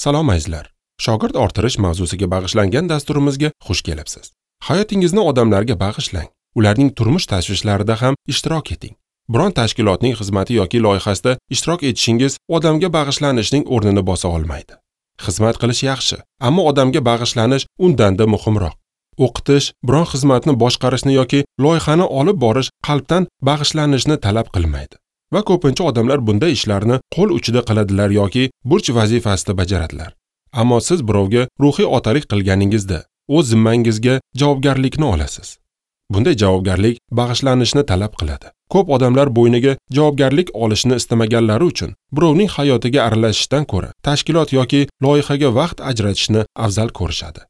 Salom azizlar. Shogird orttirish mavzusiga bag'ishlangan dasturimizga xush kelibsiz. Hayotingizni odamlarga bag'ishlang. Ularning turmush tashvishlarida ham ishtirok eting. Biron tashkilotning xizmati yoki loyihasida ishtirok etishingiz odamga bag'ishlanishning o'rnini bosa olmaydi. Xizmat qilish yaxshi, ammo odamga bag'ishlanish undan-da muhimroq. O'qitish, biron xizmatni boshqarishni yoki loyihani olib borish qalbdan bag'ishlanishni talab qilmaydi. Va ko'pincha odamlar bunday ishlarni qo'l uchida qiladilar yoki burch vazifasida bajaradilar. Ammo siz birovga ruhiy otalik qilganingizda o'z zimmangizga javobgarlikni olasiz. Bunday javobgarlik bag'ishlanishni talab qiladi. Ko'p odamlar bo'yniga javobgarlik olishni istamaganlari uchun birovning hayotiga aralashishdan ko'ra tashkilot yoki loyihaga vaqt ajratishni afzal ko'rishadi.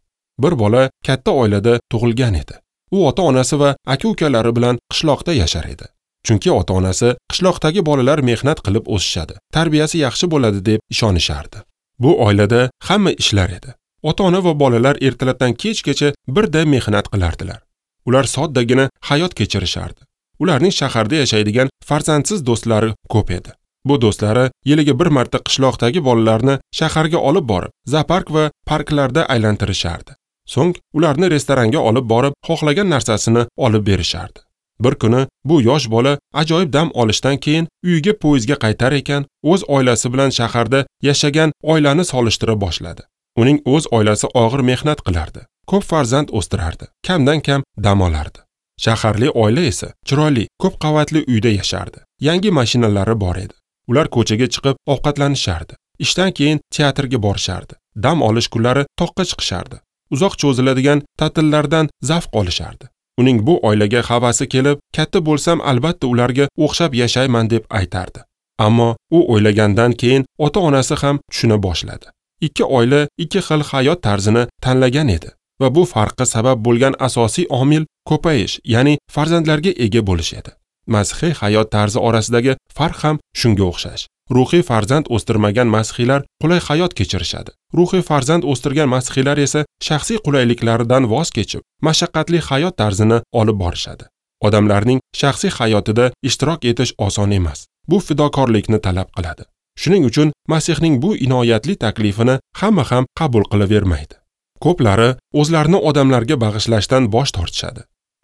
Bir bola katta oilada tug'ilgan edi. U ota-onasi va aka-ukalari bilan qishloqda yashar edi. Chunki ota-onasi qishloqdagi bolalar mehnat qilib o'sishadi, tarbiyasi yaxshi bo'ladi deb ishonishardi. Bu oilada hamma ishlar edi. Ota-ona va bolalar ertalabdan kechgacha birday mehnat qilardilar. Ular soddagina hayot kechirishardi. Ularning shaharda yashaydigan farzandsiz do'stlari ko'p edi. Bu do'stlari yiliga bir marta qishloqdagi bolalarni shaharga olib borib, zoopark va parklarda aylantirishardi. So'ng ularni restoranga olib borib, xohlagan narsasini olib berishardi. Bir kuni bu yosh bola ajoyib dam olishdan keyin uyiga poyezdga qaytar ekan, o'z oilasi bilan shaharda yashagan oilani solishtira boshladi. Uning o'z oilasi og'ir mehnat qilardi, ko'p farzand o'stirardi, kamdan-kam dam olardi. Shaharli oila esa chiroyli, ko'p qavatli uyda yashardi. Yangi mashinalari bor edi. Ular ko'chaga chiqib ovqatlanishardi. Ishdan keyin teatrga borishardi. Dam olish kunlari toqqa chiqishardi. Uzoq cho'ziladigan ta'tillardan zavq olishardi. Uning bu oilaga havasi kelib, katta bo'lsam albatta ularga o'xshab yashayman deb aytardi. Ammo u o'ylagandan keyin ota-onasi ham tushuna boshladi. Ikki oila ikki xil hayot tarzini tanlagan edi va bu farqqa sabab bo'lgan asosiy omil ko'payish, ya'ni farzandlarga ega bo'lish edi. Masihiy hayot tarzi orasidagi farq ham shunga o'xshash. Ruhiy farzand o'stirmagan masihiylar qulay hayot kechirishadi. Ruhiy farzand o'stirgan masihiylar esa shaxsiy qulayliklaridan voz kechib, mashaqqatli hayot tarzini olib borishadi. Odamlarning shaxsiy hayotida ishtirok etish oson emas. Bu fidokorlikni talab qiladi. Shuning uchun Masihning bu inoyatli taklifini hamma ham qabul qilavermaydi. Ko'plari o'zlarini odamlarga bag'ishlashdan bosh tortishadi.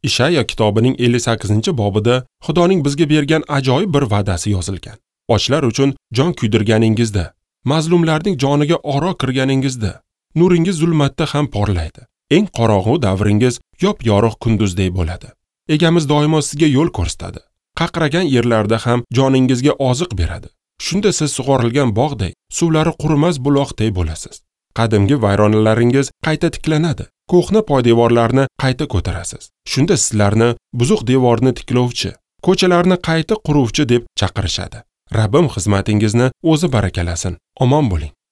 Ishaya kitobining 58-bobida Xudoning bizga bergan ajoyib bir va'dasi yozilgan. Ochlar uchun jon kuydirganingizda, mazlumlarning joniga oro kirganingizda, nuringiz zulmatda ham porlaydi. Eng qorong'u davringiz yop-yorug' kunduzdek bo'ladi. Egamiz doimo sizga yo'l ko'rsatadi. Qaqragan yerlarda ham joningizga oziq beradi. Shunda siz sug'orilgan bog'day, suvlari qurimas buloqday bo'lasiz. Qadimgi vayronalaringiz qayta tiklanadi. Ko'hna poydevorlarni qayta ko'tarasiz. Shunda sizlarni buzuq devorni tiklovchi, ko'chalarni qayta quruvchi deb chaqirishadi. Rabbim xizmatingizni o'zi barakalasin. Omon bo'ling.